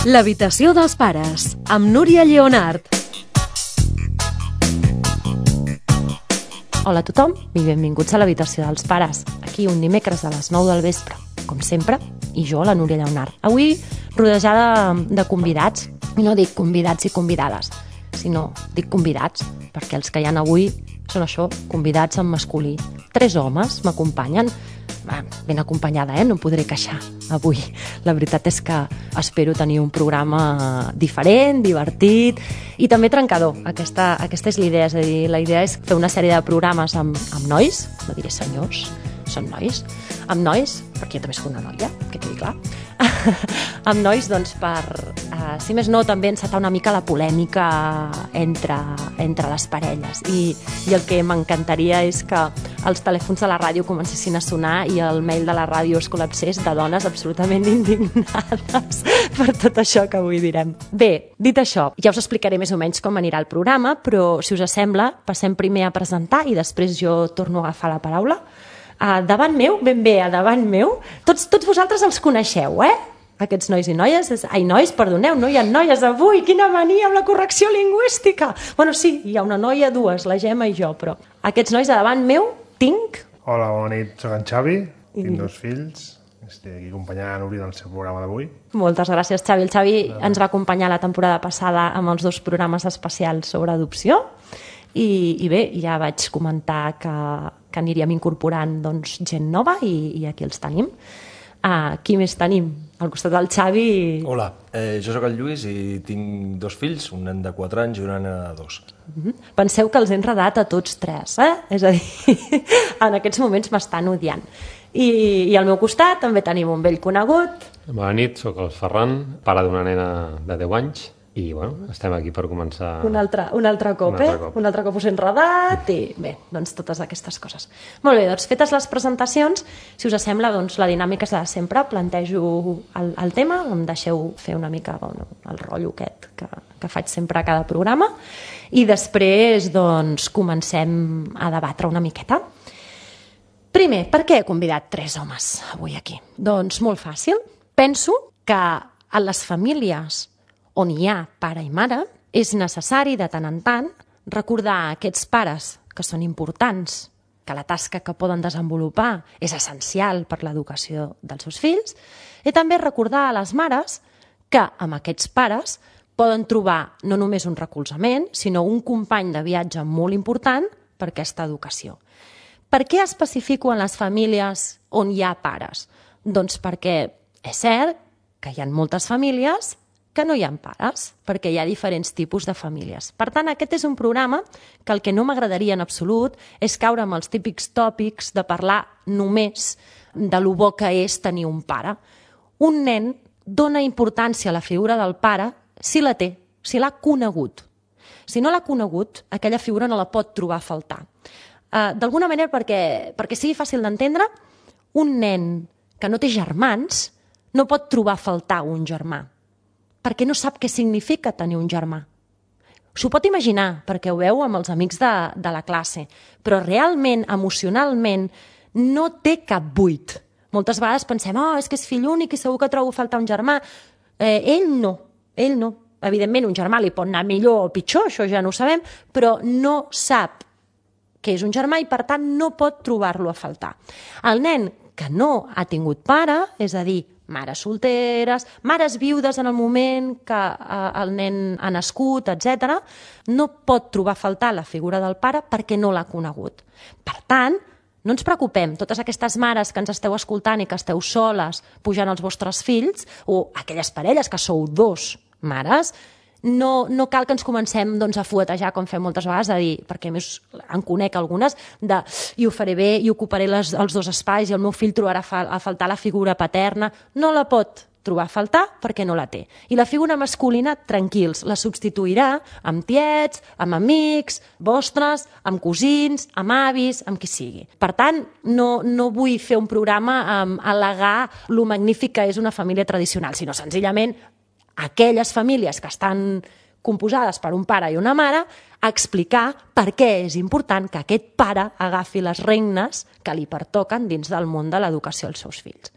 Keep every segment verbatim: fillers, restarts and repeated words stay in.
L'habitació dels pares, amb Núria Lleonart. Hola a tothom i benvinguts a l'habitació dels pares. Aquí un dimecres a les nou del vespre, com sempre, i jo, la Núria Lleonart. Avui rodejada de convidats, i no dic convidats i convidades, sinó dic convidats, perquè els que hi ha avui són això, convidats en masculí. Tres homes m'acompanyen, ben acompanyada, eh? No em podré queixar avui. La veritat és que espero tenir un programa diferent, divertit i també trencador. Aquesta, aquesta és la idea, és a dir, la idea és fer una sèrie de programes amb, amb nois, no diré senyors, són nois, amb nois, perquè jo també soc una noia, que quedi clar, amb nois, doncs, per, eh, si més no, també encetar una mica la polèmica entre, entre les parelles. I, i el que m'encantaria és que els telèfons de la ràdio comencessin a sonar i el mail de la ràdio es col·lapsés de dones absolutament indignades per tot això que avui direm. Bé, dit això, ja us explicaré més o menys com anirà el programa, però, si us sembla, passem primer a presentar i després jo torno a agafar la paraula. Uh, davant meu, ben bé, a davant meu, tots, tots vosaltres els coneixeu, eh? Aquests nois i noies, ai, nois, perdoneu, no hi ha noies avui, quina mania amb la correcció lingüística. Bueno, sí, hi ha una noia, dues, la Gemma i jo, però aquests nois a davant meu tinc... Hola, bona nit, soc en Xavi, I... tinc dos fills, estic aquí acompanyant a Núria en el seu programa d'avui. Moltes gràcies, Xavi. El Xavi no. ens va acompanyar la temporada passada amb els dos programes especials sobre adopció i, i bé, ja vaig comentar que, que aniríem incorporant doncs, gent nova i, i aquí els tenim. Uh, qui més tenim? Al costat del Xavi... Hola, eh, jo sóc el Lluís i tinc dos fills, un nen de quatre anys i una nena de dos. Uh-huh. Penseu que els he enredat a tots tres, eh? És a dir, en aquests moments m'estan odiant. I, I al meu costat també tenim un vell conegut. Bona nit, sóc el Ferran, pare d'una nena de deu anys. I, bueno, estem aquí per començar... Un altre, un altre cop, un altre eh? cop. Un altre cop us he enredat i, bé, doncs totes aquestes coses. Molt bé, doncs fetes les presentacions, si us sembla, doncs la dinàmica és la de sempre. Plantejo el, el tema, em deixeu fer una mica bueno, el rotllo aquest que, que faig sempre a cada programa i després, doncs, comencem a debatre una miqueta. Primer, per què he convidat tres homes avui aquí? Doncs molt fàcil. Penso que a les famílies on hi ha pare i mare, és necessari de tant en tant recordar a aquests pares que són importants, que la tasca que poden desenvolupar és essencial per l'educació dels seus fills, i també recordar a les mares que amb aquests pares poden trobar no només un recolzament, sinó un company de viatge molt important per aquesta educació. Per què especifico en les famílies on hi ha pares? Doncs perquè és cert que hi ha moltes famílies que no hi ha pares, perquè hi ha diferents tipus de famílies. Per tant, aquest és un programa que el que no m'agradaria en absolut és caure amb els típics tòpics de parlar només de lo bo que és tenir un pare. Un nen dona importància a la figura del pare si la té, si l'ha conegut. Si no l'ha conegut, aquella figura no la pot trobar a faltar. Uh, D'alguna manera, perquè, perquè sigui fàcil d'entendre, un nen que no té germans no pot trobar a faltar un germà, perquè no sap què significa tenir un germà. S'ho pot imaginar, perquè ho veu amb els amics de, de la classe, però realment, emocionalment, no té cap buit. Moltes vegades pensem, oh, és que és fill únic i segur que trobo a faltar un germà. Eh, ell no, ell no. Evidentment, un germà li pot anar millor o pitjor, això ja no ho sabem, però no sap que és un germà i, per tant, no pot trobar-lo a faltar. El nen que no ha tingut pare, és a dir, mares solteres, mares viudes en el moment que eh, el nen ha nascut, etcètera, no pot trobar a faltar la figura del pare perquè no l'ha conegut. Per tant, no ens preocupem, totes aquestes mares que ens esteu escoltant i que esteu soles pujant els vostres fills, o aquelles parelles que sou dos mares, no, no cal que ens comencem doncs, a fuetejar, com fem moltes vegades, a dir, perquè a més en conec algunes, de i ho faré bé, i ocuparé les, els dos espais, i el meu fill trobarà fa, a faltar la figura paterna. No la pot trobar a faltar perquè no la té. I la figura masculina, tranquils, la substituirà amb tiets, amb amics, vostres, amb cosins, amb avis, amb qui sigui. Per tant, no, no vull fer un programa amb al·legar lo magnífic que és una família tradicional, sinó senzillament aquelles famílies que estan composades per un pare i una mare, a explicar per què és important que aquest pare agafi les regnes que li pertoquen dins del món de l'educació als seus fills.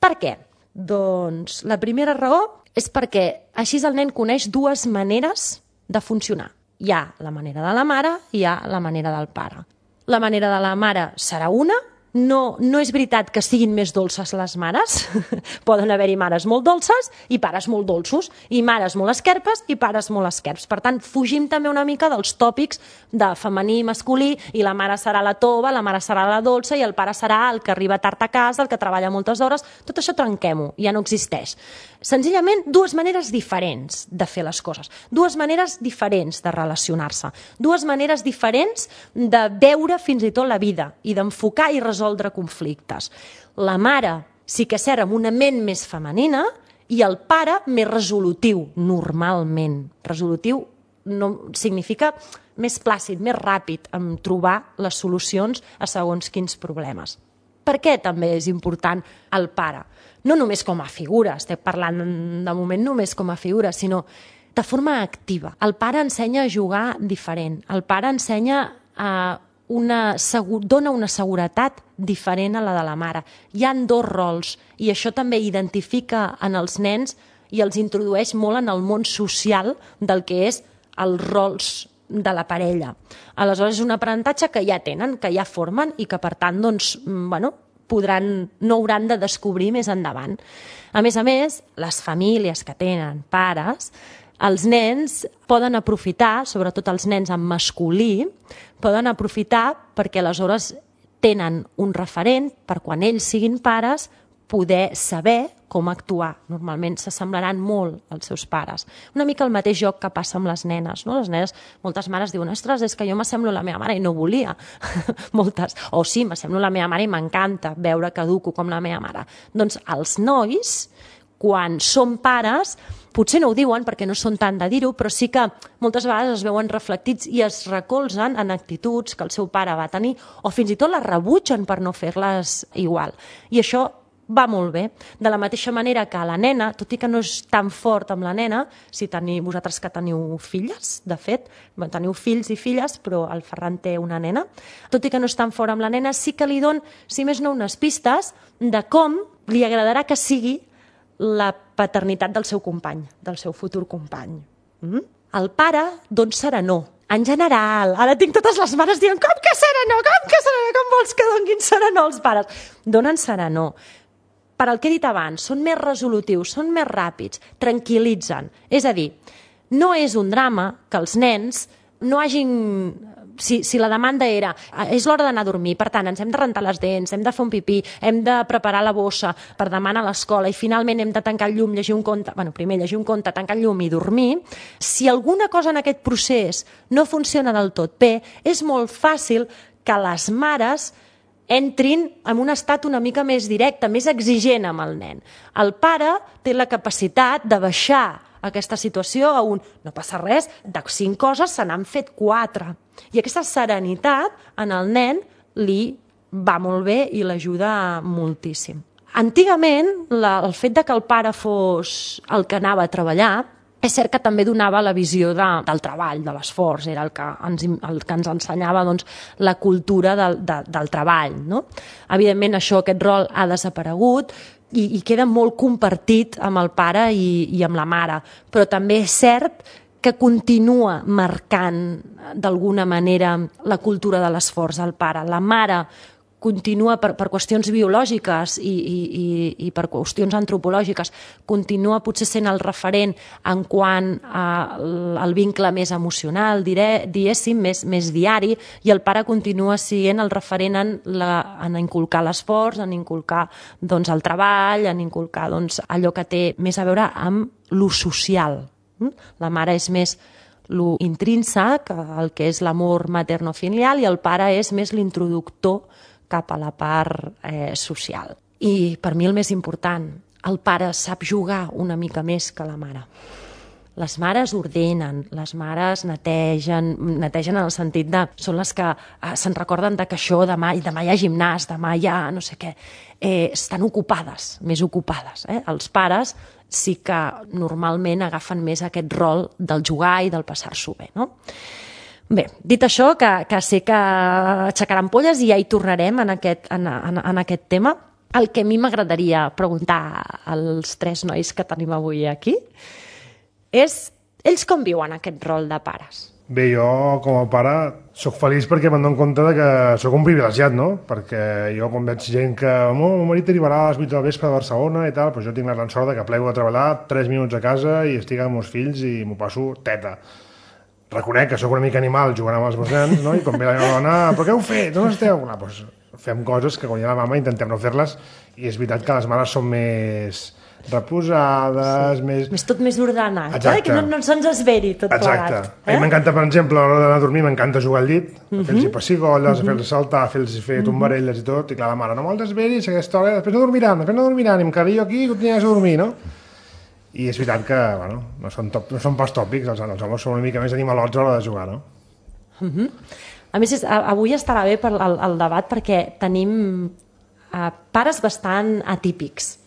Per què? Doncs la primera raó és perquè així el nen coneix dues maneres de funcionar. Hi ha la manera de la mare i hi ha la manera del pare. La manera de la mare serà una. No, no és veritat que siguin més dolces les mares. Poden haver-hi mares molt dolces i pares molt dolços, i mares molt esquerpes i pares molt esquerps. Per tant, fugim també una mica dels tòpics de femení i masculí, i la mare serà la tova, la mare serà la dolça i el pare serà el que arriba tard a casa, el que treballa moltes hores. Tot això trenquem-ho, ja no existeix. Senzillament, dues maneres diferents de fer les coses, dues maneres diferents de relacionar-se, dues maneres diferents de veure fins i tot la vida i d'enfocar i resoldre conflictes. La mare sí que és cert amb una ment més femenina i el pare més resolutiu, normalment. Resolutiu no significa més plàcid, més ràpid en trobar les solucions a segons quins problemes. Per què també és important el pare? No només com a figura, estem parlant de moment només com a figura, sinó de forma activa. El pare ensenya a jugar diferent, el pare ensenya a una, dona una seguretat diferent a la de la mare. Hi ha dos rols i això també identifica en els nens i els introdueix molt en el món social del que és els rols de la parella. Aleshores és un aprenentatge que ja tenen, que ja formen i que per tant doncs, bueno, podran, no hauran de descobrir més endavant. A més a més, les famílies que tenen pares, els nens poden aprofitar, sobretot els nens en masculí, poden aprofitar perquè aleshores tenen un referent per quan ells siguin pares poder saber com actuar. Normalment s'assemblaran molt als seus pares. Una mica el mateix joc que passa amb les nenes. No? Les nenes, moltes mares diuen, ostres, és que jo m'assemblo a la meva mare i no volia. Moltes. O sí, m'assemblo a la meva mare i m'encanta veure que educo com la meva mare. Doncs els nois, quan són pares, potser no ho diuen perquè no són tant de dir-ho, però sí que moltes vegades es veuen reflectits i es recolzen en actituds que el seu pare va tenir o fins i tot les rebutgen per no fer-les igual. I això va molt bé. De la mateixa manera que la nena, tot i que no és tan fort amb la nena, si teniu, vosaltres que teniu filles, de fet, teniu fills i filles, però el Ferran té una nena, tot i que no és tan fort amb la nena, sí que li don, si més no, unes pistes de com li agradarà que sigui la paternitat del seu company, del seu futur company. Mm? El pare don serenor. En general, ara tinc totes les mares dient com que serenor, com que serenor, com vols que donguin serenor els pares? Donen serenor. Per al que he dit abans, són més resolutius, són més ràpids, tranquil·litzen. És a dir, no és un drama que els nens no hagin... Si, si la demanda era, és l'hora d'anar a dormir, per tant, ens hem de rentar les dents, hem de fer un pipí, hem de preparar la bossa per demà anar a l'escola i finalment hem de tancar el llum, llegir un conte, bueno, primer llegir un conte, tancar el llum i dormir, si alguna cosa en aquest procés no funciona del tot bé, és molt fàcil que les mares entrin en un estat una mica més directe, més exigent amb el nen. El pare té la capacitat de baixar aquesta situació a un no passa res, de cinc coses se n'han fet quatre. I aquesta serenitat en el nen li va molt bé i l'ajuda moltíssim. Antigament, la, el fet de que el pare fos el que anava a treballar, és cert que també donava la visió de, del treball, de l'esforç, era el que ens, el que ens ensenyava doncs, la cultura del, de, del treball. No? Evidentment, això, aquest rol ha desaparegut i, i queda molt compartit amb el pare i, i amb la mare, però també és cert que continua marcant d'alguna manera la cultura de l'esforç al pare. La mare continua, per, per qüestions biològiques i, i, i, i per qüestions antropològiques, continua potser sent el referent en quant al vincle més emocional, diré, diguéssim, més, més diari, i el pare continua sent el referent en, la, en inculcar l'esforç, en inculcar doncs, el treball, en inculcar doncs, allò que té més a veure amb lo social. La mare és més lo intrínsec, el que és l'amor materno-filial, i el pare és més l'introductor cap a la part eh, social. I per mi el més important, el pare sap jugar una mica més que la mare. Les mares ordenen, les mares netegen, netegen en el sentit de... Són les que eh, se'n recorden de que això demà, demà hi ha gimnàs, demà hi ha no sé què. Eh, estan ocupades, més ocupades. Eh? Els pares sí que normalment agafen més aquest rol del jugar i del passar-s'ho bé, no? Bé, dit això, que, que sé que aixecarà ampolles i ja hi tornarem en aquest, en, en, en aquest tema, El que a mi m'agradaria preguntar als tres nois que tenim avui aquí és ells com viuen aquest rol de pares? Bé, jo com a pare sóc feliç perquè me'n dono compte de que sóc un privilegiat, no? Perquè jo quan veig gent que oh, el marit arribarà a les vuit del vespre a Barcelona i tal, doncs jo tinc la gran sort de que plego a treballar tres minuts a casa i estic amb els meus fills i m'ho passo teta. Reconec que sóc una mica animal jugant amb els meus nens, no? I quan ve la meva dona, però què heu fet? On esteu? No, doncs fem coses que quan hi ha la mama intentem no fer-les i és veritat que les mares són més reposades, sí. més... Més tot més ordenat, eh? Que no, no se'ns esveri tot Exacte. plegat. Eh? A mi m'encanta, per exemple, a l'hora d'anar a dormir, m'encanta jugar al llit, uh -huh. fer-los pessigolles, uh -huh. fer-los saltar, fer-los fer tombarelles i tot, i clar, la mare, no me'ls desveris, aquesta hora, després no dormiran, després no dormiran, i em quedaré jo aquí i continuaràs a dormir, no? I és veritat que, bueno, no són, top, no són pas tòpics, els, els homes són una mica més animalots a l'hora de jugar, no? Uh -huh. A més, és, avui estarà bé per el, el debat perquè tenim uh, pares bastant atípics.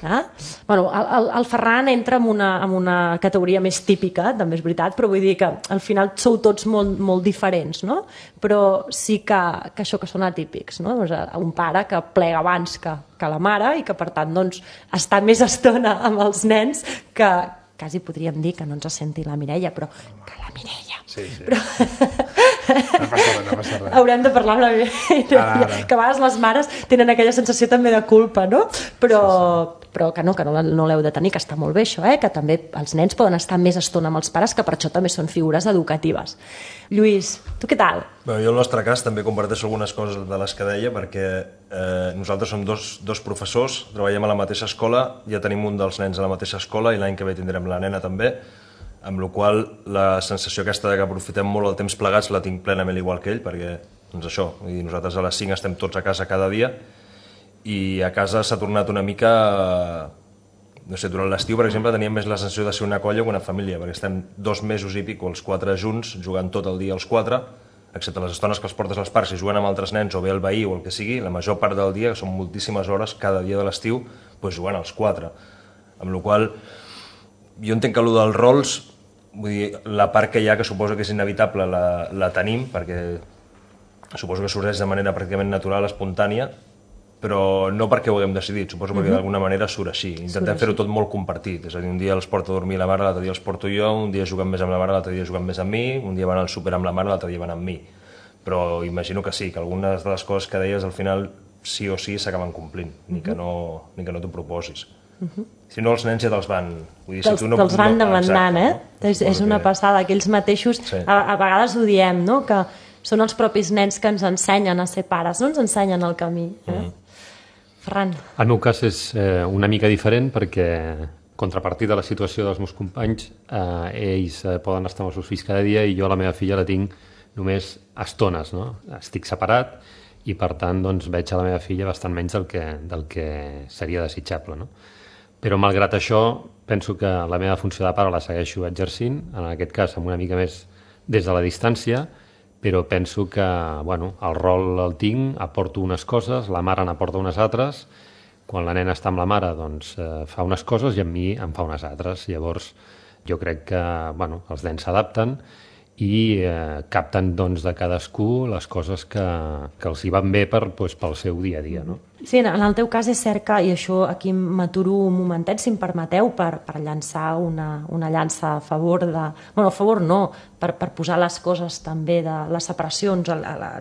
Eh? Bueno, el, el Ferran entra en una, en una categoria més típica, també és veritat, però vull dir que al final sou tots molt, molt diferents, no? Però sí que, que això que són atípics, no? Doncs un pare que plega abans que, que la mare i que per tant doncs, està més estona amb els nens que quasi podríem dir que no ens senti la Mireia, però que la Mireia. Sí, sí. Però... No passa res, no passa res. Haurem de parlar amb la Mireia, ara, ara. Que a vegades les mares tenen aquella sensació també de culpa, no? Però, sí, sí. però que no, que no, no l'heu de tenir, que està molt bé això, eh? Que també els nens poden estar més estona amb els pares, que per això també són figures educatives. Lluís, tu què tal? Bé, jo, en el nostre cas, també comparteixo algunes coses de les que deia, perquè eh, nosaltres som dos, dos professors, treballem a la mateixa escola, ja tenim un dels nens a la mateixa escola i l'any que ve tindrem la nena també, amb la qual la sensació aquesta de que aprofitem molt el temps plegats la tinc plenament igual que ell, perquè doncs això, vull dir, nosaltres a les cinc estem tots a casa cada dia i a casa s'ha tornat una mica... No sé, durant l'estiu, per exemple, teníem més la sensació de ser una colla que una família, perquè estem dos mesos i pico els quatre junts, jugant tot el dia els quatre, excepte les estones que els portes als parcs i juguen amb altres nens o bé el veí o el que sigui, la major part del dia, que són moltíssimes hores cada dia de l'estiu, doncs jugant els quatre. Amb la qual jo entenc que allò dels rols, vull dir, la part que hi ha, que suposo que és inevitable, la, la tenim, perquè suposo que sorgeix de manera pràcticament natural, espontània, però no perquè ho haguem decidit, suposo perquè d'alguna manera surt així. Intentem fer-ho tot molt compartit, és a dir, un dia els porto a dormir la mare, l'altre dia els porto jo, un dia juguen més amb la mare, l'altre dia juguen més amb mi, un dia van al súper amb la mare, l'altre dia van amb mi. Però imagino que sí, que algunes de les coses que deies al final sí o sí s'acaben complint, ni que no, ni que no t'ho proposis. Uh-huh. Si no, els nens ja te'ls van... Vull dir, si tu no, te'ls van no, demandant, eh? No? És, és una passada, que ells mateixos, sí. a, a vegades ho diem, no? Que són els propis nens que ens ensenyen a ser pares, no ens ensenyen el camí. Eh? Uh-huh. Ferran. El meu cas és eh, una mica diferent perquè, contrapartida de la situació dels meus companys, eh, ells eh, poden estar amb els seus fills cada dia i jo la meva filla la tinc només estones, no? Estic separat i per tant doncs, veig a la meva filla bastant menys del que, del que seria desitjable, no? Però malgrat això penso que la meva funció de pare la segueixo exercint, en aquest cas amb una mica més des de la distància, però penso que bueno, el rol el tinc, aporto unes coses, la mare n'aporta unes altres, quan la nena està amb la mare doncs, eh, fa unes coses i amb mi en fa unes altres. Llavors jo crec que bueno, els nens s'adapten i eh, capten doncs, de cadascú les coses que, que els hi van bé per, doncs, pel seu dia a dia. No? Sí, en el teu cas és cert que, i això aquí m'aturo un momentet, si em permeteu, per, per llançar una, una llança a favor de... Bueno, a favor no, per, per posar les coses també de les separacions, a la, a la,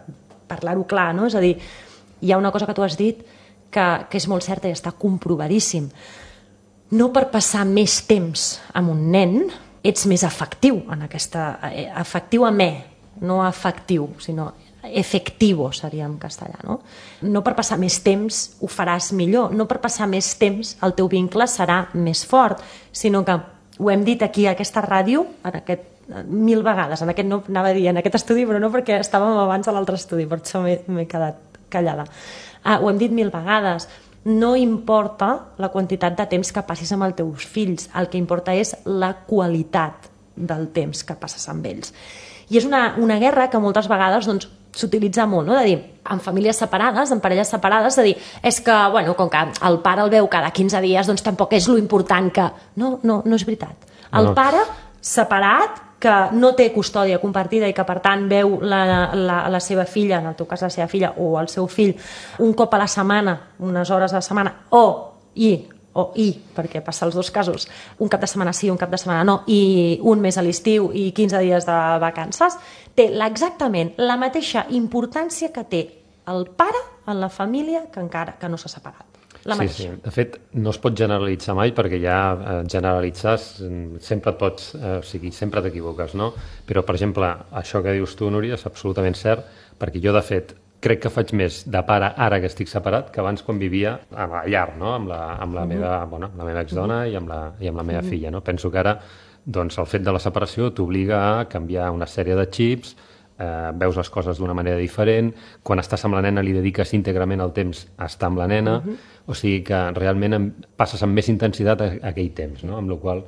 parlar-ho clar, no? És a dir, hi ha una cosa que tu has dit que, que és molt certa i està comprovadíssim. No per passar més temps amb un nen ets més efectiu en aquesta... efectiu amb E, no efectiu, sinó efectivo seria en castellà, no? No per passar més temps ho faràs millor, no per passar més temps el teu vincle serà més fort, sinó que ho hem dit aquí a aquesta ràdio, en aquest mil vegades, en aquest no anava a dir en aquest estudi, però no perquè estàvem abans a l'altre estudi, per això m'he quedat callada. Ah, ho hem dit mil vegades, no importa la quantitat de temps que passis amb els teus fills, el que importa és la qualitat del temps que passes amb ells. I és una, una guerra que moltes vegades doncs, s'utilitza molt, no? De dir, en famílies separades, en parelles separades, de dir, és que, bueno, com que el pare el veu cada quinze dies, doncs tampoc és lo important que... No, no, no és veritat. El no. pare, separat, que no té custòdia compartida i que per tant veu la, la, la seva filla, en el teu cas la seva filla o el seu fill, un cop a la setmana, unes hores a la setmana, o i o i, perquè passa els dos casos, un cap de setmana sí, un cap de setmana no, i un mes a l'estiu i quinze dies de vacances, té exactament la mateixa importància que té el pare en la família que encara que no s'ha separat. La sí, mateixa. sí. De fet, no es pot generalitzar mai perquè ja eh, generalitzar sempre et pots, eh, o sigui, sempre t'equivoques, no? Però, per exemple, això que dius tu, Núria, és absolutament cert, perquè jo, de fet, crec que faig més de pare ara que estic separat que abans quan vivia a la llar, no? amb, la, amb, la, meva, bueno, amb la meva exdona i amb la, i amb la meva filla. No? Penso que ara doncs, el fet de la separació t'obliga a canviar una sèrie de xips, eh, veus les coses d'una manera diferent, quan estàs amb la nena li dediques íntegrament el temps a estar amb la nena, uh -huh. o sigui que realment passes amb més intensitat a, a aquell temps, no? Amb la qual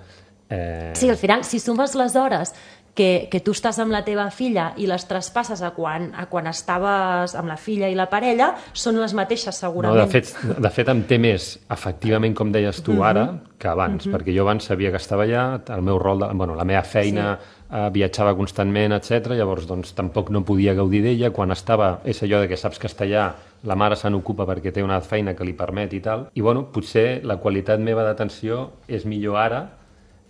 eh... Sí, al final, si sumes les hores que, que tu estàs amb la teva filla i les traspasses a quan, a quan estaves amb la filla i la parella, són les mateixes segurament. No, de fet, de fet em té més, efectivament, com deies tu ara, que abans, uh -huh. perquè jo abans sabia que estava allà, el meu rol, de, bueno, la meva feina sí. eh, viatjava constantment, etcètera. Llavors doncs, tampoc no podia gaudir d'ella. Quan estava, és allò de que saps que està allà, la mare se n'ocupa perquè té una feina que li permet i tal, i bueno, potser la qualitat meva d'atenció és millor ara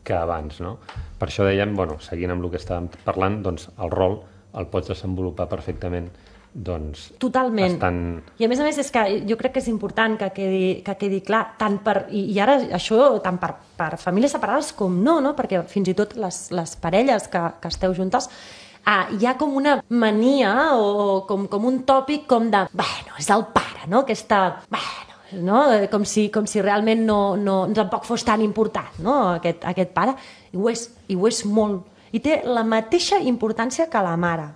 que abans, no? Per això dèiem, bueno, seguint amb el que estàvem parlant, doncs el rol el pots desenvolupar perfectament, doncs... Totalment. Estan... I a més a més és que jo crec que és important que quedi, que quedi clar, tant per, i, i ara això tant per, per famílies separades com no, no? Perquè fins i tot les, les parelles que, que esteu juntes, ah, hi ha com una mania o com, com un tòpic com de, bueno, és el pare, no? Aquesta, bueno, no? Com, si, com si realment no, no, tampoc fos tan important, no? aquest, aquest pare, i ho, és, i ho és molt, i té la mateixa importància que la mare.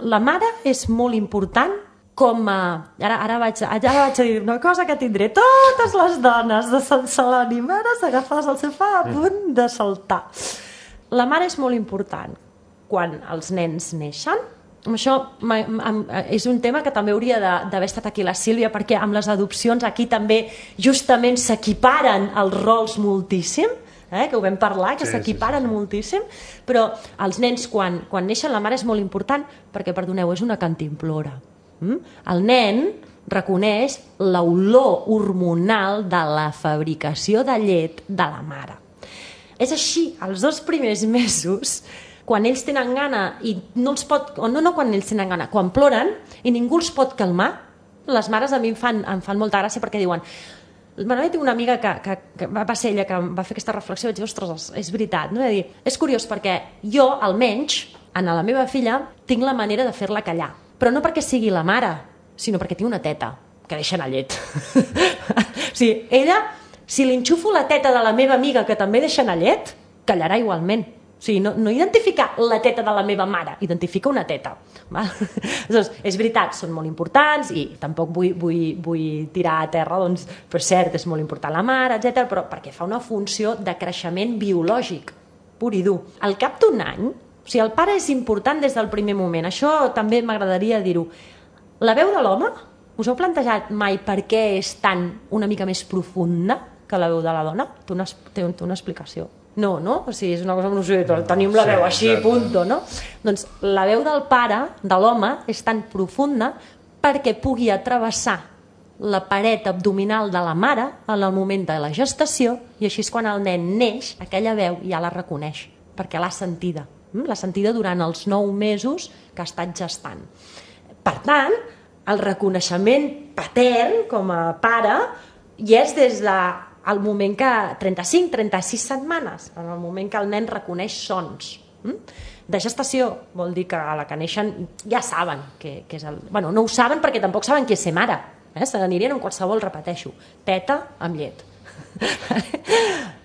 La mare és molt important com a... Ara, ara, vaig, ara vaig a dir una cosa que tindré totes les dones de Sant Celoni mares agafades al sofà a punt de saltar. La mare és molt important quan els nens neixen. Això és un tema que també hauria d'haver estat aquí la Sílvia, perquè amb les adopcions aquí també justament s'equiparen els rols moltíssim, eh? Que ho vam parlar, que s'equiparen sí, sí, sí. moltíssim, però els nens quan, quan neixen la mare és molt important perquè, perdoneu, és una cantimplora. Mm? El nen reconeix l'olor hormonal de la fabricació de llet de la mare. És així, els dos primers mesos, quan ells tenen gana i no els pot, o no, no quan ells tenen gana, quan ploren i ningú els pot calmar, les mares a mi em fan, em fan molta gràcia perquè diuen, bueno, jo tinc una amiga que, que, que va ser ella que va fer aquesta reflexió i vaig dir, ostres, és veritat, no? Dir, és curiós perquè jo, almenys, en la meva filla, tinc la manera de fer-la callar, però no perquè sigui la mare, sinó perquè tinc una teta que deixa anar llet. O sigui, ella, si li enxufo la teta de la meva amiga que també deixa anar llet, callarà igualment. O sigui, no, no identifica la teta de la meva mare, identifica una teta. Doncs, és veritat, són molt importants i tampoc vull, vull, vull tirar a terra, doncs, per cert, és molt important la mare, etcètera, però perquè fa una funció de creixement biològic, pur i dur. Al cap d'un any, o sigui, el pare és important des del primer moment, això també m'agradaria dir-ho. La veu de l'home, us heu plantejat mai per què és tan una mica més profunda que la veu de la dona? Té una, té una explicació. No, no? O sigui, és una cosa que no sé, tenim la veu així, punto, no? Doncs la veu del pare, de l'home, és tan profunda perquè pugui travessar la paret abdominal de la mare en el moment de la gestació i així és quan el nen neix, aquella veu ja la reconeix, perquè l'ha sentida. L'ha sentida durant els nou mesos que ha estat gestant. Per tant, el reconeixement patern com a pare hi és des de al moment que trenta-cinc a trenta-sis setmanes, en el moment que el nen reconeix sons. De gestació vol dir que a la que neixen ja saben que, que és el... Bueno, no ho saben perquè tampoc saben qui és ser mare. Eh? Se n'anirien amb qualsevol, repeteixo, teta amb llet.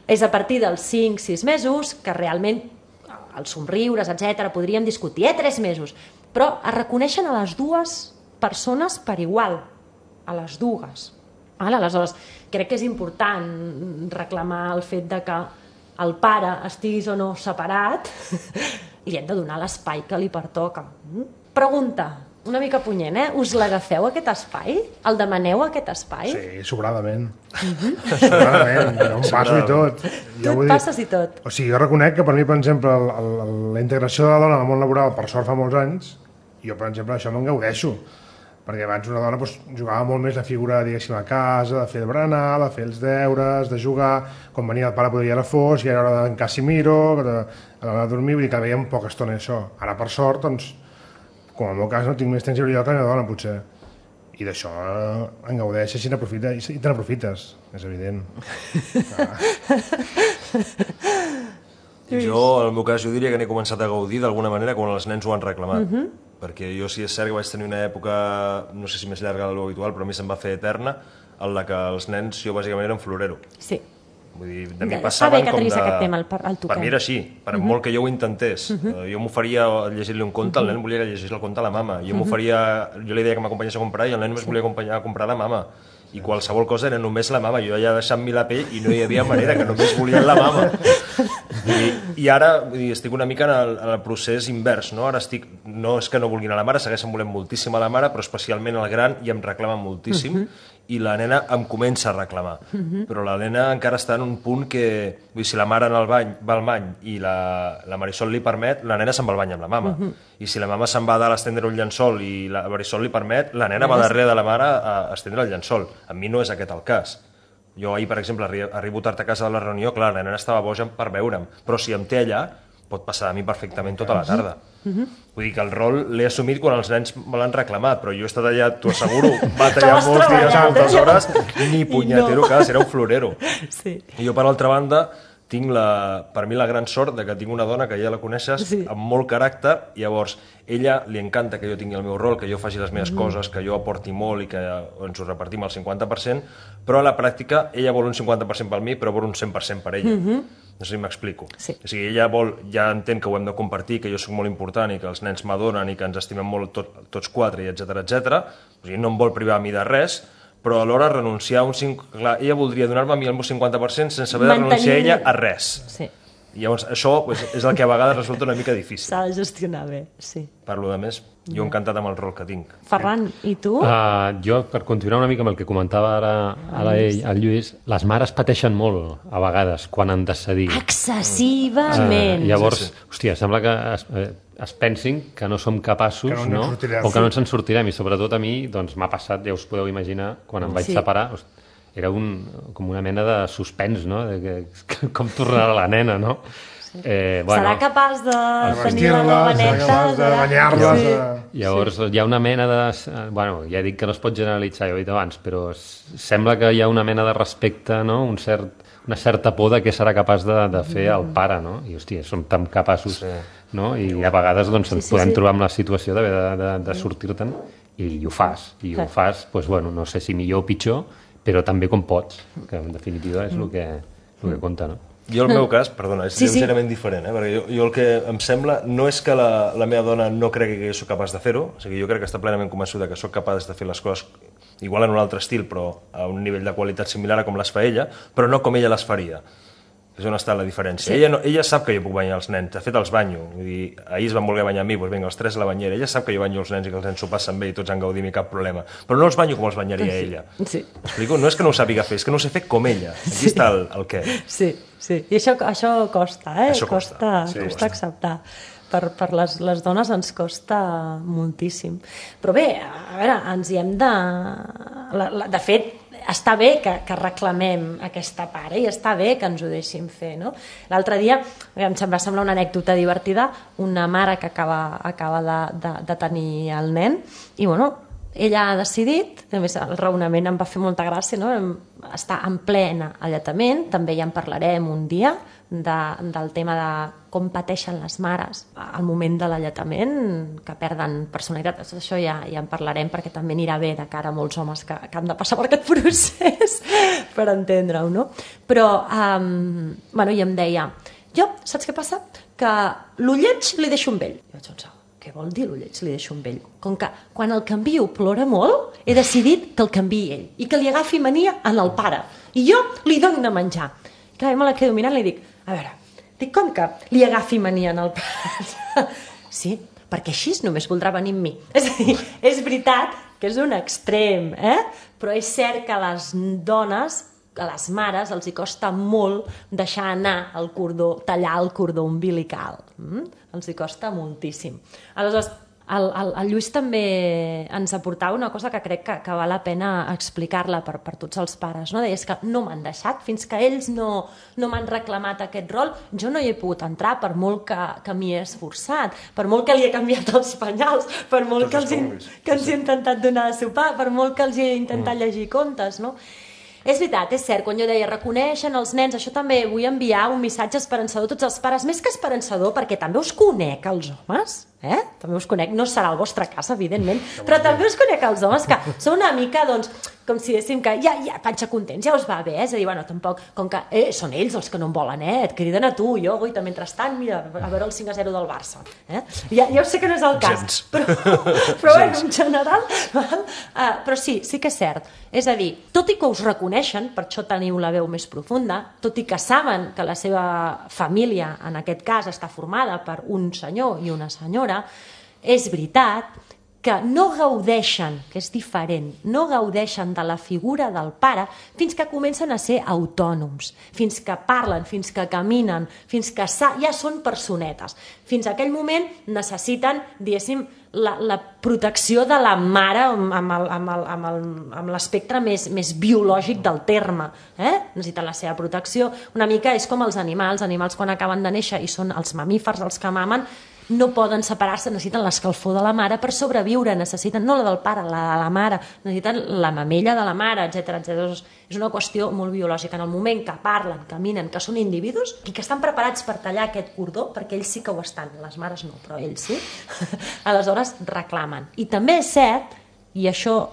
És a partir dels cinc a sis mesos que realment els somriures, etcètera, podríem discutir, eh, tres mesos, però es reconeixen a les dues persones per igual, a les dues. Aleshores, crec que és important reclamar el fet de que el pare estiguis o no separat i li hem de donar l'espai que li pertoca. Pregunta, una mica punyent, eh? Us l'agafeu, aquest espai? El demaneu, aquest espai? Sí, sobradament. Sobradament, jo em passo i tot. Tu et passes i tot. O sigui, jo reconec que per mi, per exemple, el, el, la integració de la dona al món laboral, per sort fa molts anys, jo, per exemple, això me'n gaudeixo. Perquè abans una dona doncs, jugava molt més la figura, diguéssim, a casa, de fer el berenar, de fer els deures, de jugar, quan venia el pare podia ir a la fos, i era hora d'en Casimiro, de, de, de dormir, vull dir que veiem poca estona això. Ara, per sort, doncs, com en el meu cas no tinc més temps lliure que la meva dona, potser. I d'això en gaudeixes i n'aprofites, i te n'aprofites, és evident. Jo, en el meu cas, jo diria que n'he començat a gaudir d'alguna manera quan els nens ho han reclamat. Uh -huh. Perquè jo sí és cert que vaig tenir una època, no sé si més llarga de l'habitual, però a mi se'm va fer eterna, en la que els nens, jo bàsicament era un florero. Sí. Vull dir, de mi passaven com de... aquest tema, el, el per mi era així, per uh -huh. molt que jo ho intentés. Uh -huh. Jo m'oferia a llegir-li un conte, uh -huh. el nen volia que llegís el conte a la mama. Jo m'oferia, jo li deia que m'acompanyés a comprar i el nen només volia acompanyar a comprar a la mama. I qualsevol cosa era només la mama. Jo ja deixant-me la pell i no hi havia manera, que només volien la mama. I, i ara vull dir, estic una mica en el, en el procés invers, no? Ara estic, no és que no vulguin a la mare, segueixen volent moltíssim a la mare, però especialment el gran i em reclamen moltíssim, uh -huh. i la nena em comença a reclamar. Uh -huh. Però la nena encara està en un punt que, vull dir, si la mare en el bany, va al bany i la, la Marisol li permet, la nena se'n va al bany amb la mama. Uh -huh. I si la mama se'n va a dalt a estendre un llençol i la Marisol li permet, la nena va darrere de la mare a estendre el llençol. A mi no és aquest el cas. Jo ahir, per exemple, arribo tard a casa de la reunió, clar, la nena estava boja per veure'm, però si em té allà, pot passar a mi perfectament tota la tarda. Uh-huh. Vull dir que el rol l'he assumit quan els nens me l'han reclamat, però jo he estat allà, t'ho asseguro, batallar molts dies, moltes hores, ni punyetero, no. Cas, era un florero. Sí. I jo, per altra banda, tinc la, per mi la gran sort de que tinc una dona que ja la coneixes, sí. amb molt caràcter, i llavors ella li encanta que jo tingui el meu rol, que jo faci les meves mm. coses, que jo aporti molt i que ens ho repartim al cinquanta per cent, però a la pràctica ella vol un cinquanta per cent per mi, però vol un cent per cent per ella. Mm-hmm. No sé si m'explico. Sí. O sigui, ella vol, ja entén que ho hem de compartir, que jo soc molt important i que els nens m'adonen i que ens estimem molt tot, tots quatre, i etcètera, etcètera. O sigui, no em vol privar a mi de res, però alhora renunciar a un... Clar, ella voldria donar-me a mi el meu cinquanta per cent sense haver de renunciar a ella a res. Sí. I llavors això pues, és el que a vegades resulta una mica difícil. S'ha de gestionar bé, sí. Per lo de més, jo encantat amb el rol que tinc. Ferran, i tu? Uh, jo, per continuar una mica amb el que comentava ara, ara ell, el Lluís, les mares pateixen molt, a vegades, quan han de cedir. Excessivament. Uh, llavors, sí, sí. Hòstia, sembla que es, eh, es pensin que no som capaços, que no, no? o que no ens en sortirem, i sobretot a mi doncs, m'ha passat, ja us podeu imaginar, quan em vaig sí. separar, hosti, era un, com una mena de suspens, no? De que, que, com tornarà la nena, no? Sí. Eh, bueno, serà capaç de tenir la nova neta? Serà capaç de banyar-les? Sí. Llavors sí. hi ha una mena de... Bueno, ja dic que no es pot generalitzar, ja ho he dit abans, però sembla que hi ha una mena de respecte, no? Un cert, una certa por de què serà capaç de, de fer el pare, no? I, hòstia, som tan capaços, sí. no? I a vegades doncs, ens sí, sí, podem sí. trobar amb la situació d'haver de, de, de sortir-te'n i ho fas. I ho fas, doncs, bueno, no sé si millor o pitjor, però també com pots, que en definitiva és el que, el que compta, no? Jo el meu cas, perdona, és sí, lleugerament sí. diferent, eh? Perquè jo, jo el que em sembla no és que la, la meva dona no cregui que jo soc capaç de fer-ho, o sigui, jo crec que està plenament convençuda que sóc capaç de fer les coses igual en un altre estil, però a un nivell de qualitat similar a com les fa ella, però no com ella les faria. És on està la diferència. Sí. Ella, no, ella sap que jo puc banyar els nens, de fet els banyo. Vull dir, ahir es van voler banyar a mi, doncs vinga, els tres a la banyera. Ella sap que jo banyo els nens i que els nens s'ho passen bé i tots han gaudit i cap problema. Però no els banyo com els banyaria sí. ella. Sí. M'explico? No és que no ho sàpiga fer, és que no ho sé fer com ella. Aquí sí. està el, el què. Sí, sí. I això, això costa, eh? Això costa. Costa, sí, costa acceptar. Per, per les, les dones ens costa moltíssim. Però bé, a veure, ens hi hem de... La, la, de fet, està bé que, que reclamem aquesta part, eh? I està bé que ens ho deixin fer, no? L'altre dia, em va semblar una anècdota divertida, una mare que acaba, acaba de, de, de tenir el nen, i bueno, ella ha decidit, a més el raonament em va fer molta gràcia, no? Està en plena alletament, també ja en parlarem un dia, de, del tema de com pateixen les mares al moment de l'alletament, que perden personalitat. Això ja, ja en parlarem, perquè també anirà bé de cara a molts homes que, que han de passar per aquest procés per entendre-ho, no? Però, um, bueno, i em deia, jo, saps què passa? Que l'ulleig li deixo amb ell. I vaig pensar, què vol dir l'ulleig li deixo amb ell? Com que quan el canvio plora molt, he decidit que el canviï ell i que li agafi mania en el pare. I jo li dono de menjar. I clar, me la quedo mirant i li dic, a veure, dic, com que li agafi mania en el pare? Sí, perquè així només voldrà venir amb mi. És a dir, és veritat que és un extrem, eh? Però és cert que a les dones, a les mares, els hi costa molt deixar anar el cordó, tallar el cordó umbilical. Mm? Els hi costa moltíssim. Aleshores, El, el, el Lluís també ens aportava una cosa que crec que, que val la pena explicar-la per, per tots els pares, no? Deies que no m'han deixat, fins que ells no, no m'han reclamat aquest rol, jo no hi he pogut entrar per molt que, que m'hi he esforçat, per molt que li he canviat els penyals, per molt que, els he, que els he intentat donar de sopar, per molt que els he intentat llegir contes, no? És veritat, és cert, quan jo deia reconeixen els nens, això també vull enviar un missatge esperançador a tots els pares, més que esperançador, perquè també us conec els homes, eh? També us conec, no serà el vostre cas, evidentment, però també us conec els homes, que són una mica, doncs, com si déssim que ja, ja, panxa contents, ja us va bé, eh? És a dir, bueno, tampoc, com que eh, són ells els que no em volen, eh? Et criden a tu, jo, guaita, mentrestant, mira, a veure el cinc a zero del Barça, eh? Ja, ja ho sé que no és el cas, Gens. però, però bueno, en general, val? Uh, però sí, sí que és cert, és a dir, tot i que us reconeixen, per això teniu la veu més profunda, tot i que saben que la seva família, en aquest cas, està formada per un senyor i una senyora, és veritat que no gaudeixen, que és diferent, no gaudeixen de la figura del pare fins que comencen a ser autònoms, fins que parlen, fins que caminen, fins que ja són personetes. Fins a aquell moment necessiten, diguéssim, la, la protecció de la mare amb l'espectre més, més biològic del terme. Eh? Necessiten la seva protecció. Una mica és com els animals. Els animals quan acaben de néixer i són els mamífers els que mamen, no poden separar-se, necessiten l'escalfor de la mare per sobreviure, necessiten, no la del pare, la de la mare, necessiten la mamella de la mare, etcètera, etcètera. És una qüestió molt biològica. En el moment que parlen, caminen, que són individus i que estan preparats per tallar aquest cordó, perquè ells sí que ho estan, les mares no, però ells sí, aleshores reclamen. I també és cert, i això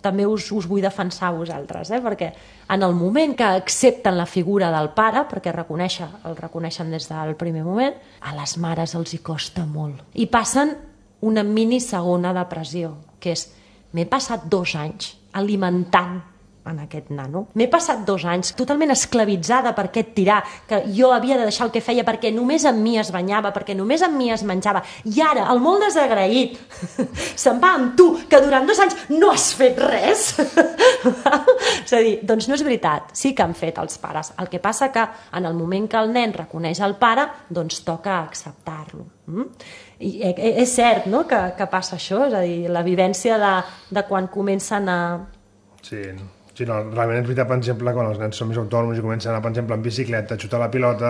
també us, us vull defensar a vosaltres, eh? Perquè en el moment que accepten la figura del pare, perquè reconèixer, el reconeixen des del primer moment, a les mares els hi costa molt. I passen una mini segona depressió, que és, m'he passat dos anys alimentant en aquest nano. M'he passat dos anys totalment esclavitzada per aquest tirà, que jo havia de deixar el que feia perquè només amb mi es banyava, perquè només amb mi es menjava. I ara, el molt desagraït, se'n va amb tu, que durant dos anys no has fet res. És a dir, doncs no és veritat, sí que han fet els pares. El que passa que en el moment que el nen reconeix el pare, doncs toca acceptar-lo. Mm? I és cert, no?, que, que passa això, és a dir, la vivència de, de quan comencen a... Sí, Sí, no, realment és veritat, per exemple, quan els nens són més autònoms i comencen a anar, per exemple, en bicicleta, a xutar la pilota,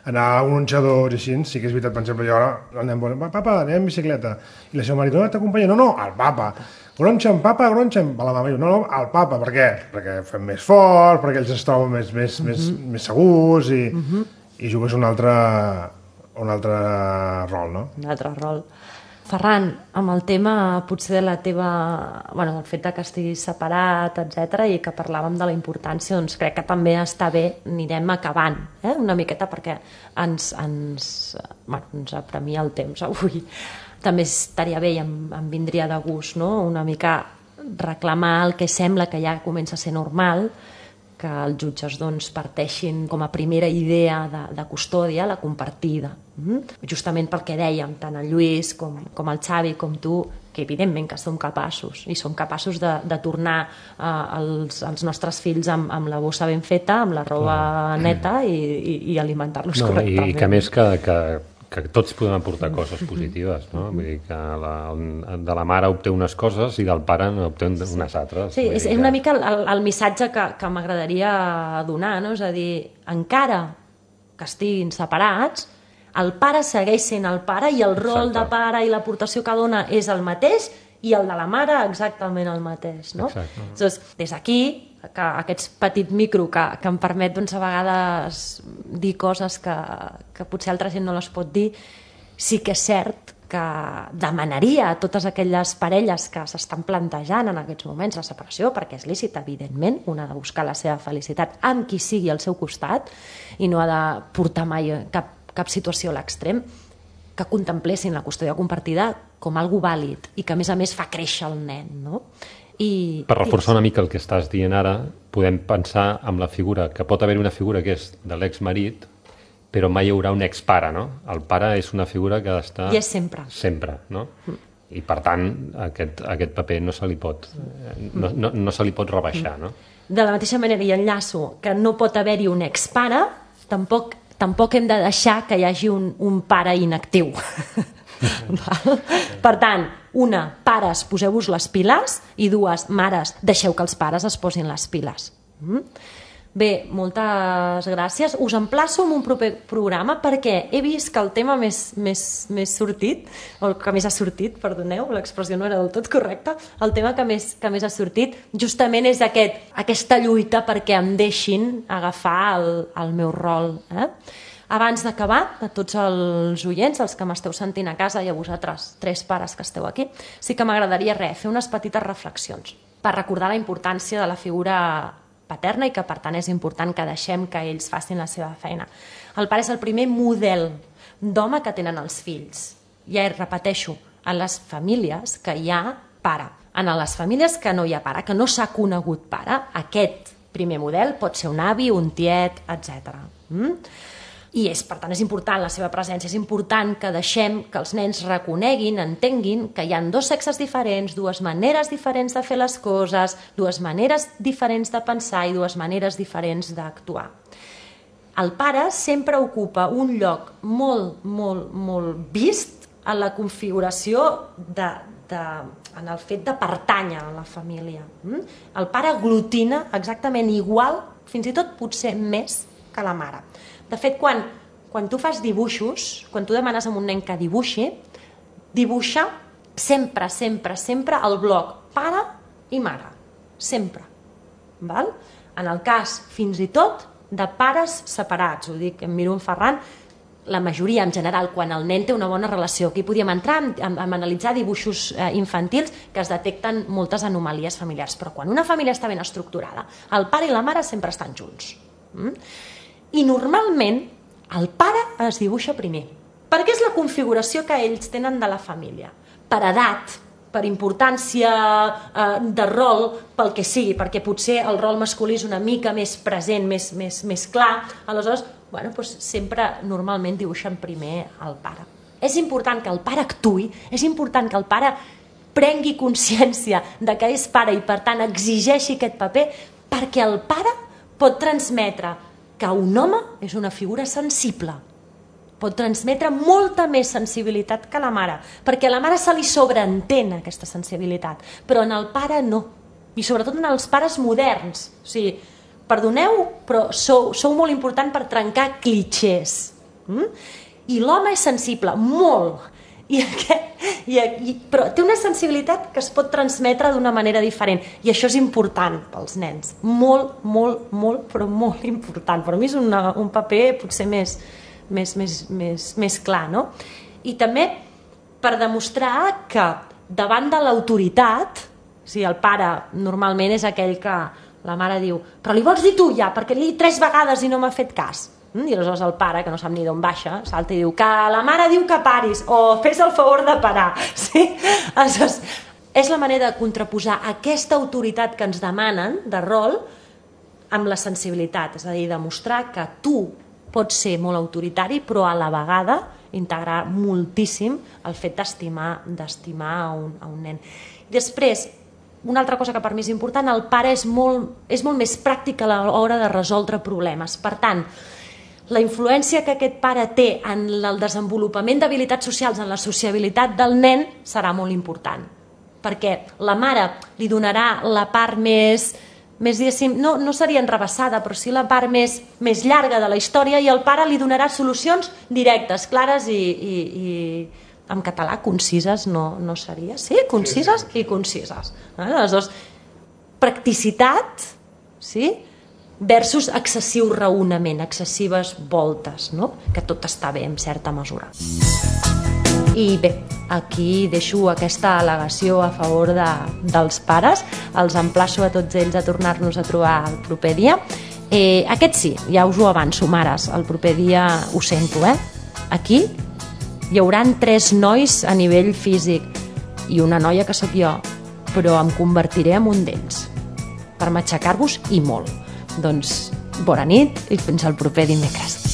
anar a un onxador i així, sí que és veritat, per exemple, jo ara el nen vol, papa, anem en bicicleta, i la seva marit, no, t'acompanya, no, no, el papa, gronxa'm, papa, gronxa'm, a la mama, no, no, el papa, per què? Perquè fem més fort, perquè ells es troben més, més, mm-hmm. més, més segurs i, mm-hmm. i jugues un altre, un altre rol, no? Un altre rol. Ferran, amb el tema potser de la teva... Bueno, el fet de que estiguis separat, etcètera, i que parlàvem de la importància, doncs crec que també està bé, anirem acabant, eh? Una miqueta, perquè ens, ens, bueno, ens apremia el temps avui. També estaria bé i em, em vindria de gust, no?, una mica reclamar el que sembla que ja comença a ser normal, que els jutges doncs, parteixin com a primera idea de, de custòdia la compartida. Mm? Justament pel que dèiem, tant el Lluís com, com el Xavi com tu, que evidentment que som capaços, i som capaços de, de tornar eh, els, els nostres fills amb, amb la bossa ben feta, amb la roba neta i, i, i alimentar-los no, correctament. I que més que, que, que tots podem aportar coses positives, no? Vull dir que la, de la mare obté unes coses i del pare obté unes altres. Sí, és, és una mica el, el missatge que, que m'agradaria donar, no? És a dir, encara que estiguin separats, el pare segueix sent el pare i el rol Exacte. De pare i l'aportació que dona és el mateix i el de la mare exactament el mateix, no? Exacte. Doncs, des d'aquí, que aquest petit micro que, que em permet doncs, a vegades dir coses que, que potser altra gent no les pot dir, sí que és cert que demanaria a totes aquelles parelles que s'estan plantejant en aquests moments la separació, perquè és lícit, evidentment, una ha de buscar la seva felicitat amb qui sigui al seu costat i no ha de portar mai cap, cap situació a l'extrem, que contemplessin la custòdia compartida com algo vàlid i que a més a més fa créixer el nen, no? I, per reforçar una mica el que estàs dient ara, podem pensar en la figura, que pot haver una figura que és de l'exmarit, però mai hi haurà un expare, no? El pare és una figura que ha d'estar... I és sempre. Sempre, no? Mm. I per tant, aquest, aquest paper no se li pot, no, no, no se li pot rebaixar, no? De la mateixa manera, i enllaço, que no pot haver-hi un expare, tampoc, tampoc hem de deixar que hi hagi un, un pare inactiu. Per tant, una, pares, poseu-vos les piles, i dues, mares, deixeu que els pares es posin les piles. Mm? Bé, moltes gràcies. Us emplaço en un proper programa perquè he vist que el tema més, més, més sortit, o que més ha sortit, perdoneu, l'expressió no era del tot correcta, el tema que més, que més ha sortit justament és aquest, aquesta lluita perquè em deixin agafar el, el meu rol. Eh? Abans d'acabar, a tots els oients, els que m'esteu sentint a casa i a vosaltres, tres pares que esteu aquí, sí que m'agradaria res, fer unes petites reflexions per recordar la importància de la figura paterna i que per tant és important que deixem que ells facin la seva feina. El pare és el primer model d'home que tenen els fills. Ja repeteixo, en les famílies que hi ha pare, en les famílies que no hi ha pare, que no s'ha conegut pare, aquest primer model pot ser un avi, un tiet, etcètera. Mm? I és, per tant, és important la seva presència, és important que deixem que els nens reconeguin, entenguin que hi ha dos sexes diferents, dues maneres diferents de fer les coses, dues maneres diferents de pensar i dues maneres diferents d'actuar. El pare sempre ocupa un lloc molt, molt, molt vist en la configuració de, de, en el fet de pertànyer a la família. El pare aglutina exactament igual, fins i tot potser més que la mare. De fet, quan, quan tu fas dibuixos, quan tu demanes a un nen que dibuixi, dibuixa sempre, sempre, sempre el bloc pare i mare. Sempre. Val? En el cas, fins i tot, de pares separats, ho dic, em miro en Ferran, la majoria, en general, quan el nen té una bona relació, aquí podíem entrar a, a, a analitzar dibuixos eh, infantils que es detecten moltes anomalies familiars, però quan una família està ben estructurada, el pare i la mare sempre estan junts. Mm? I normalment el pare es dibuixa primer, perquè és la configuració que ells tenen de la família, per edat, per importància eh, de rol, pel que sigui, perquè potser el rol masculí és una mica més present, més, més, més clar, aleshores bueno, doncs sempre normalment dibuixen primer el pare. És important que el pare actuï, és important que el pare prengui consciència de que és pare i per tant exigeixi aquest paper, perquè el pare pot transmetre que un home és una figura sensible, pot transmetre molta més sensibilitat que la mare, perquè a la mare se li sobreentén aquesta sensibilitat, però en el pare no, i sobretot en els pares moderns. O sigui, perdoneu, però sou, sou molt important per trencar clitxers. Mm? I l'home és sensible, molt, I aquest, i, i, però té una sensibilitat que es pot transmetre d'una manera diferent, i això és important pels nens, molt, molt, molt, però molt important. Per mi és una, un paper potser més, més, més, més, més clar, no? I també per demostrar que davant de l'autoritat, o sigui, el pare normalment és aquell que la mare diu, però li vols dir tu ja, perquè li he dit tres vegades i no m'ha fet cas. I aleshores el pare, que no sap ni d'on baixa, salta i diu que la mare diu que paris, o fes el favor de parar. Sí? Aleshores, és la manera de contraposar aquesta autoritat que ens demanen de rol amb la sensibilitat, és a dir, demostrar que tu pots ser molt autoritari, però a la vegada integrar moltíssim el fet d'estimar d'estimar a un, a un nen. Després, una altra cosa que per mi és important, el pare és molt, és molt més pràctic a l'hora de resoldre problemes. Per tant, la influència que aquest pare té en el desenvolupament d'habilitats socials, en la sociabilitat del nen, serà molt important. Perquè la mare li donarà la part més, més no, no seria enrevessada, però sí la part més, més llarga de la història, i el pare li donarà solucions directes, clares i, i, i en català concises no, no seria? Sí, concises i concises. Aleshores, practicitat, sí?, versus excessiu raonament, excessives voltes, no? Que tot està bé en certa mesura. I bé, aquí deixo aquesta al·legació a favor de, dels pares. Els emplaço a tots ells a tornar-nos a trobar el proper dia. Eh, aquest sí, ja us ho avanço, mares, el proper dia ho sento, eh? Aquí hi hauran tres nois a nivell físic i una noia que sóc jo, però em convertiré en un d'ells per matxacar-vos i molt. Doncs bona nit i fins al proper dimecres.